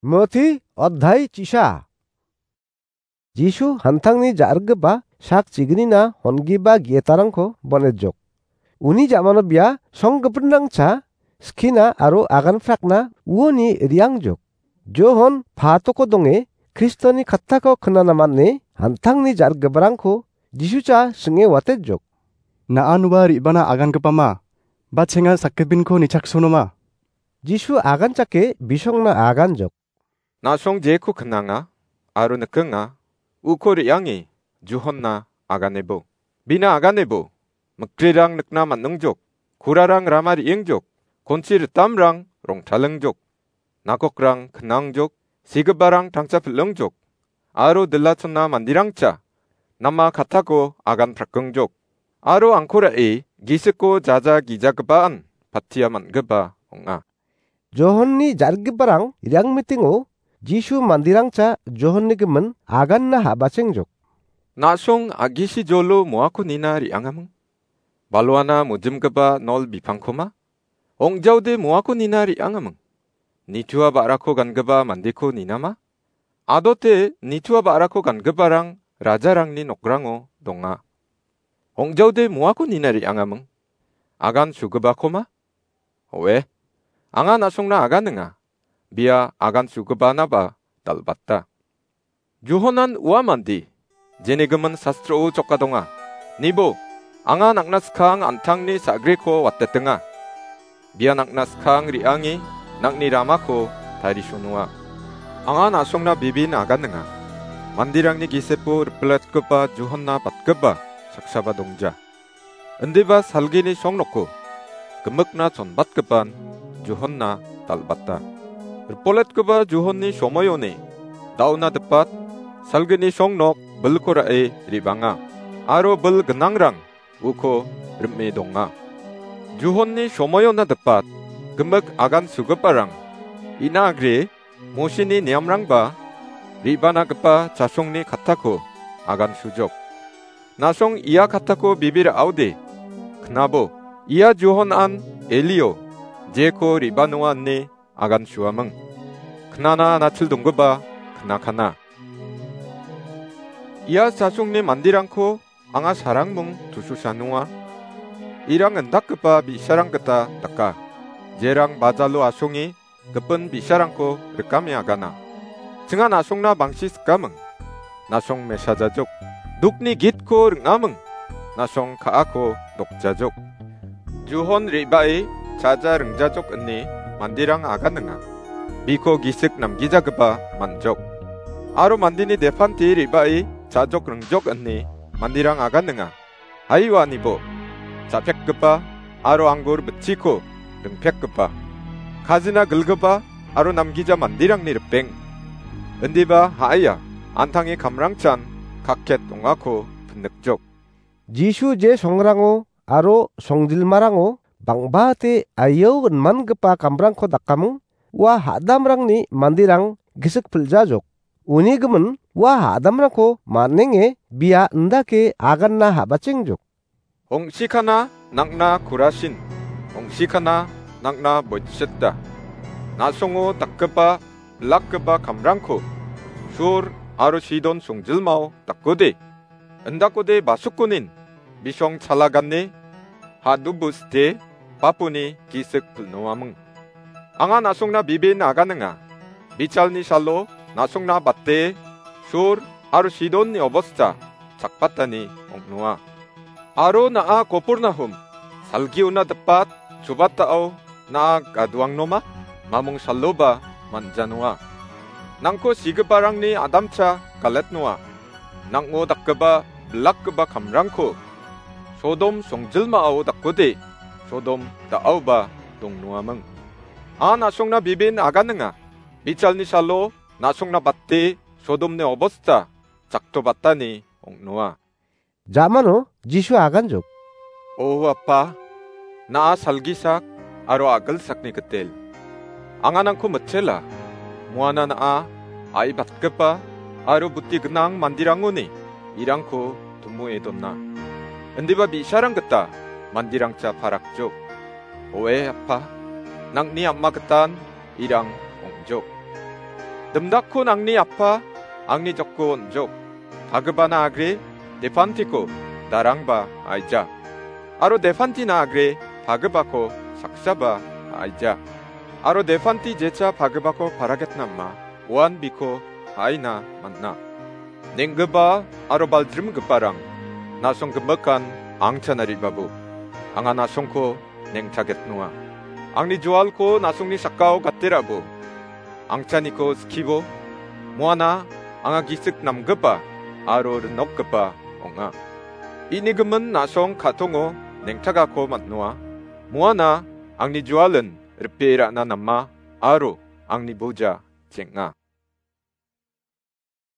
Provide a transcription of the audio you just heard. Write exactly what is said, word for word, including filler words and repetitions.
Moti oddhai chisa. Jisu hantangni ja·rikgipa sak chignina hongipa gi·etarangko bon·ejok. Uni ja·mano bia songgipinrangcha skina aro aganprakna uoni re·angjok. Johon patoko donge Kristoni kattako knana man·e hantangni ja·rikgiparangko Jisucha sing·e watejok. Na·an ua re·bana agangipama, ba chenga sakgipinko nichaksonoma? Jisu aganchake bisongna aganjok. Na·song jeko knanga aro nikenga, uko re·ange Johonna aganebo. Bina aganebo, mikrirang nikna man·ingjok, kurarang rama re·engjok, konchi ritamrang rongtalengjok, nakokrang knangjok, sigiparang tangcha pil·engjok, aro dilachonna mandirangcha nama kattako agan prakengjok, aro angko ra·e gisiko jaja gijagipan pattia man·gipa ong·a. Johonni ja·rikgiparang re·angmitingo Jisu mandirangcha Johonni gimin aganna ha·bachengjok. Na·song a·gisi jolo moako nina re·angaming? Baluana mojimgipa nol bipangkoma? Ong·jaode moako nina re·angaming? Nitua ba·rako gangipa mandeko ninama? Adote nitua ba·rako gangiparang rajarangni nokrango donga. Ong·jaode moako nina re·angaming? Agan sugipakoma? Oe, anga na·songna aganinga. Bia agan sugipanaba dal·bata. Johanan ua mande, jeni gimin sastrao choka donga. Nibo, anga nang·na skang an·tangni sa·griko watetenga. Bia nang·na skang re·ange nang·ni ramako tarisonoa. Anga na·songna bibin aganinga. Manderangni gisepo ripiletgipa Johonna batgipa saksaba dongja. Indiba salgini songnoko gimikna chonbatgipan Johonna dal·bata. Ripoletgipa Johonni somoioni da·ona dipat salgini songnok bilko ra·e re·banga, aro bil gnangrang uko rim·e donga. Johonni somoiona dipat gimik agan sugiparang ina agre Mosini niamrangba re·banagipa chasongni kattako agan sujok. Na·song ia kattako bibir a·ode, knabo, ia Johan an Elio, jeko re·banoa ine agan suaming. Knana nachil donggipa knakana. Ia chasongni manderangko anga sarangming tususanoa. Irang indakgipa bi·sarang gita daka. Jerang bajalo asonge gipin bi·sarangko rikame agana. Chinga na·songna bangsi sikaming. Na·song mesajajok. Dukni gitko ring·aming. Na·song ka·ako dokjajok. Johon re·bae chaja ringjajok ine manderang aganinga. Biko gisik namgijagipa man·jok. Aro mandeni depante re·bae chajok ringjok ine manderang aganinga. Haiwa nibo, cha·pekgipa aro anggur bitchiko ringpekgipa, kajina gilgipa aro namgija manderangni ripeng. Indiba ha·aia, an·tange kamrangchan kakket ong·ako pinikjok. Jisu je songrango aro songjilmarango bang·bate aiao ginmangipa kamrangko dakaming, ua ha·damrangni manderang gisik pil·jajok. Uni gimin ua ha·damrangko man·enge bia indake aganna ha·bachengjok. Ong·sikana nang·na Korasin, ong·sikana nang·na Boitseta. Na·songo dakgipa, bilakgipa kamrangko Sur aro Sidon songjilmao dakode. Indakode basukkonin bisong chala gane, ha·dubu site, baponi gisik pilnoaming. Anga na·songna bibin aganinga. Bichalni salo na·songna bate Sur aro Sidonni obosta chakbatani ong·noa. Aro na·a Kopurnahum, salgiona dipat chubatao na·a gaduangnoma, mamung saloba man·janoa. Nangko sigiparangni adamcha galetnoa. Nang·o dakgipa bilakgipa kamrangko Sodom songjilmao dakode, Sodom da·aoba dongnoaming. A na·songna bibin aganinga. Bichalni salo na·songna bate Sodomni obosta chaktobatani ong·noa. Ja·mano Jisu aganjok. O Apa, na·a salgisak aro a·gilsakni gitel. Anga nangko mitela, muana na·a a·ibatgipa aro buti gnang manderangoni irangko tumue dona. Indiba bi·sarang gita manderangcha parakjok. Oe Apa, nang·ni ama gitan irang ong·jok. Dimdakko nangni appa, angni jokko on·jok. Pagipana agre, depantiko darangba aija. Aro depantina agre, pagipako saksaba aija. Aro depanti jecha pagipako paragetnama, uan biko aina man·a. Neng·gipa aro baljrimgiparang, na·song gimikan angchana re·babo. Anga na·songko nengchagetnoa. Angni jualko na·songni sakao gaterabo. Angchaniko skibo. Muana anga gisik namgipa aro rinokgipa ong·a. Ini gimin na·song ka·tongo nengchagako man·noa. Muana angni jualin ripee ra·na nama aro angni boja cheng·a.